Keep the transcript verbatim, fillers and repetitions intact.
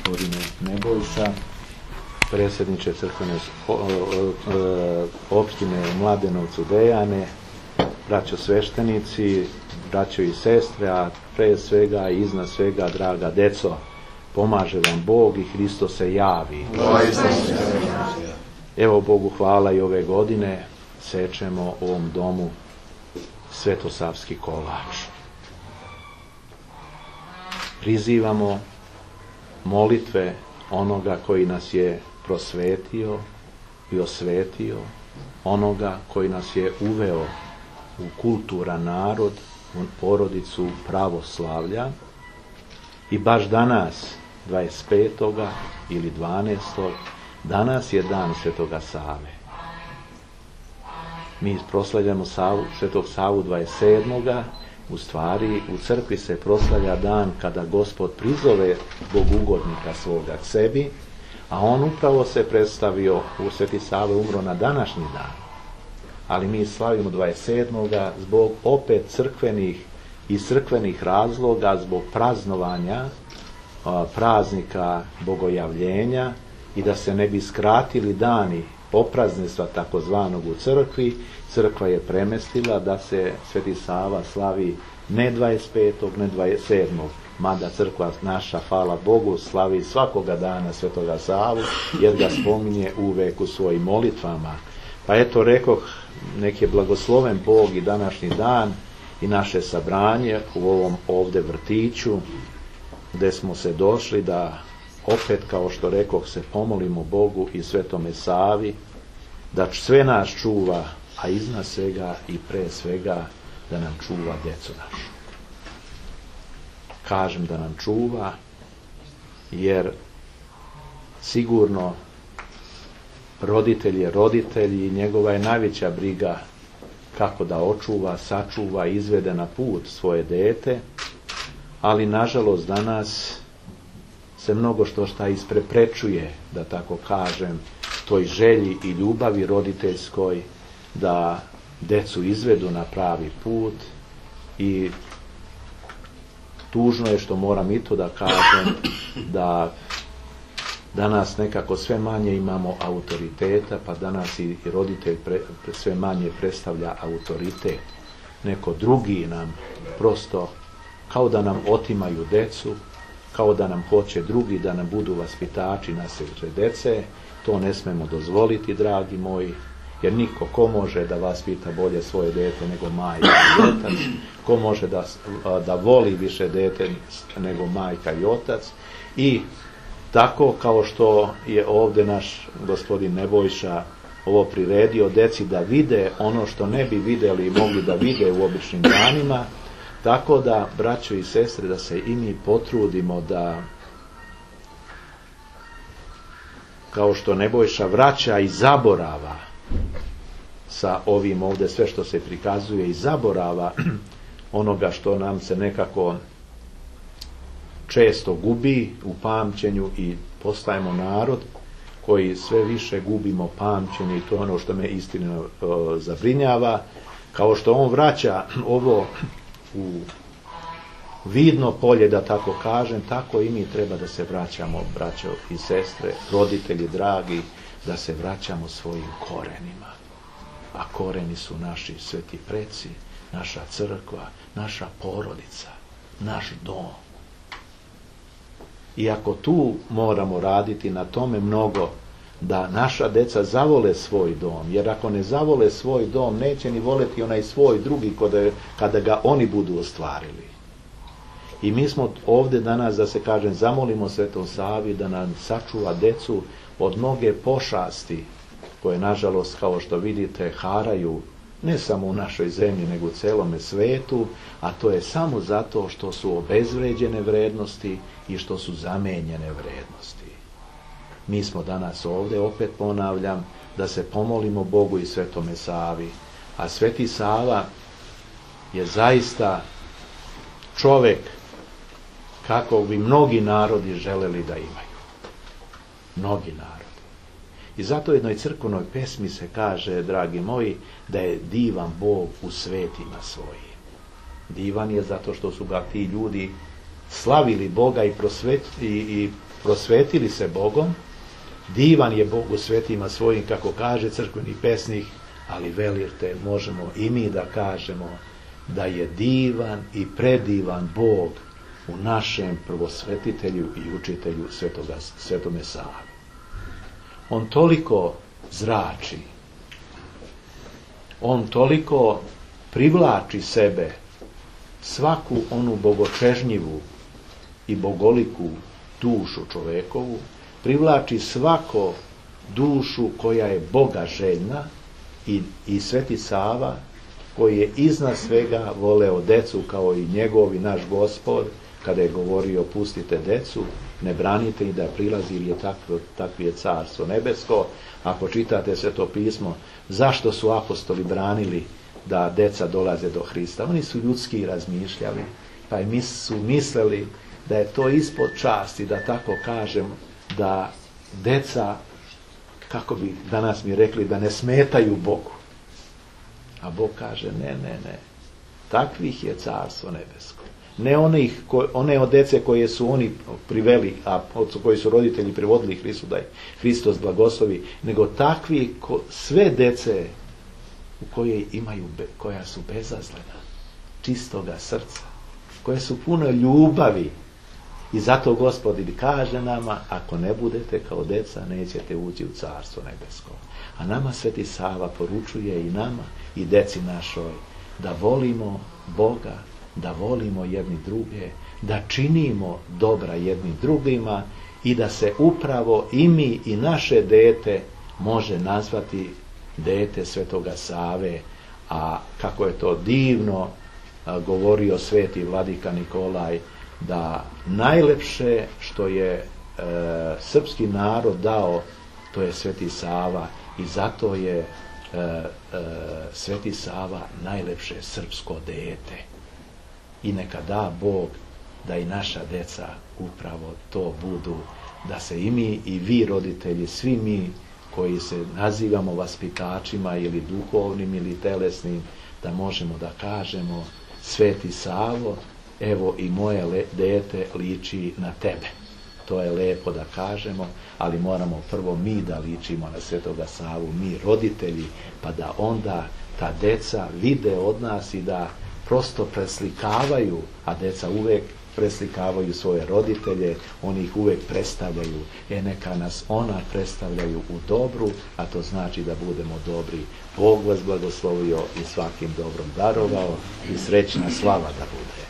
gospodine Nebojša, predsjedniče crkvene opštine Mladenovcu Dejane, braćo sveštenici, braćo i sestre, a pre svega i iznad svega, draga deco, pomaže vam Bog i Hristo se javi. Evo Bogu hvala, i ove godine sečemo u ovom domu svetosavski kolač. Prizivamo molitve onoga koji nas je prosvetio i osvetio, onoga koji nas je uveo u kulturan narod, u porodicu pravoslavlja, i baš danas, dvadeset petog ili dvanaestog danas je dan Svetoga Save. Mi proslavljamo Savu, Svetog Savu dvadeset sedmog U stvari, u crkvi se proslavlja dan kada Gospod prizove bogugodnika svoga k sebi, a on upravo se predstavio, u Sveti Sava umro na današnji dan. Ali mi slavimo dvadeset sedmog zbog opet crkvenih i crkvenih razloga, zbog praznovanja a, praznika bogojavljenja, i da se ne bi skratili dani opraznenstva takozvanog u crkvi, crkva je premestila da se Sveti Sava slavi ne dvadeset petog ne dvadeset sedmog mada crkva naša, hvala Bogu, slavi svakoga dana Svetoga Savu, jer ga spominje uvek u svojim molitvama. Pa eto, rekoh, nek je blagosloven Bog i današnji dan i naše sabranje u ovom ovde vrtiću, gde smo se došli da opet, kao što rekoh, se pomolimo Bogu i Svetome Savi, da sve nas čuva, a iznad svega i pre svega da nam čuva decu našu. Kažem da nam čuva, jer sigurno roditelj je roditelj i njegova je najveća briga kako da očuva, sačuva, izvede na put svoje dete, ali nažalost danas se mnogo što šta ispreprečuje, da tako kažem, toj želji i ljubavi roditeljskoj da decu izvedu na pravi put. I tužno je što moram i to da kažem, da danas nekako sve manje imamo autoriteta, pa danas i roditelj pre, sve manje predstavlja autoritet. Neko drugi nam prosto kao da nam otimaju decu, kao da nam hoće drugi da nam budu vaspitači naše dece. To ne smemo dozvoliti, dragi moji, jer niko ko može da vaspita bolje svoje dete nego majka i otac, ko može da, da voli više dete nego majka i otac. I tako kao što je ovde naš gospodin Nebojša ovo priredio deci da vide ono što ne bi videli i mogli da vide u običnim danima, tako da, braćo i sestre, da se i mi potrudimo da, kao što Nebojša vraća i zaborava sa ovim ovde sve što se prikazuje, i zaborava onoga što nam se nekako često gubi u pamćenju, i postajemo narod koji sve više gubimo pamćenje, i to je ono što me istina o, zabrinjava. Kao što on vraća ovo u vidno polje, da tako kažem, tako i mi treba da se vraćamo, braćo i sestre, roditelji dragi, da se vraćamo svojim korenima. A koreni su naši sveti preci, naša crkva, naša porodica, naš dom. I ako tu moramo raditi na tome mnogo, da naša deca zavole svoj dom, jer ako ne zavole svoj dom, neće ni voleti onaj svoj drugi kada, kada ga oni budu ostvarili. I mi smo ovde danas, da se kažem, zamolimo Svetom Savi da nam sačuva decu od mnoge pošasti koje, nažalost, kao što vidite, haraju ne samo u našoj zemlji, nego u celome svetu, a to je samo zato što su obezvređene vrednosti i što su zamenjene vrednosti. Mi smo danas ovde, opet ponavljam, da se pomolimo Bogu i Svetome Savi, a Sveti Sava je zaista čovek kako bi mnogi narodi želeli da imaju. Mnogi narodi. I zato u jednoj crkvenoj pesmi se kaže, dragi moji, da je divan Bog u svetima svojim. Divan je zato što su ga ti ljudi slavili Boga i, prosvet, i, i prosvetili se Bogom, divan je Bog u svetima svojim, kako kaže crkveni pesnik, ali velite, možemo i mi da kažemo da je divan i predivan Bog u našem prvosvetitelju i učitelju Svetoga, Svetome Savi. On toliko zrači, on toliko privlači sebe svaku onu bogočežnjivu i bogoliku dušu čovekovu, privlači svako dušu koja je Boga željna i, i Sveti Sava, koji je iznad svega voleo decu kao i njegov i naš Gospod, kada je govorio pustite decu, ne branite i da prilazi jer je takvo, takvi je carstvo nebesko. Ako čitate Sveto pismo, zašto su apostoli branili da deca dolaze do Hrista? Oni su ljudski razmišljali, pa i su mislili da je to ispod časti, da tako kažem, da deca, kako bi danas mi rekli, da ne smetaju Bogu. A Bog kaže, ne, ne, ne, takvih je carstvo nebesko. Ne onih, ko, one od dece koje su oni priveli, a koji su roditelji privodili Hristu, da je Hristos blagoslovi, nego takvi ko, sve dece u koje imaju, koja su bezazlena, čistoga srca, koje su puno ljubavi. I zato Gospod kaže nama, ako ne budete kao deca, nećete ući u carstvo nebesko. A nama Sveti Sava poručuje i nama i deci našoj da volimo Boga, da volimo jedni druge, da činimo dobra jedni drugima i da se upravo i mi i naše dete može nazvati dete Svetoga Save, a kako je to divno a, govorio sveti vladika Nikolaj, da najlepše što je e, srpski narod dao, to je Sveti Sava, i zato je e, e, Sveti Sava najlepše srpsko dete. I neka da Bog da i naša deca upravo to budu, da se i mi i vi roditelji, svi mi koji se nazivamo vaspitačima ili duhovnim ili telesnim, da možemo da kažemo, Sveti Savo, evo i moje le, dete liči na tebe. To je lepo da kažemo, ali moramo prvo mi da ličimo na Svetoga Savu, mi roditelji, pa da onda ta deca vide od nas i da prosto preslikavaju, a deca uvek preslikavaju svoje roditelje, oni ih uvek predstavljaju. E neka nas ona predstavljaju u dobru, a to znači da budemo dobri. Bog vas blagoslovio i svakim dobrom darovao i srećna slava da bude.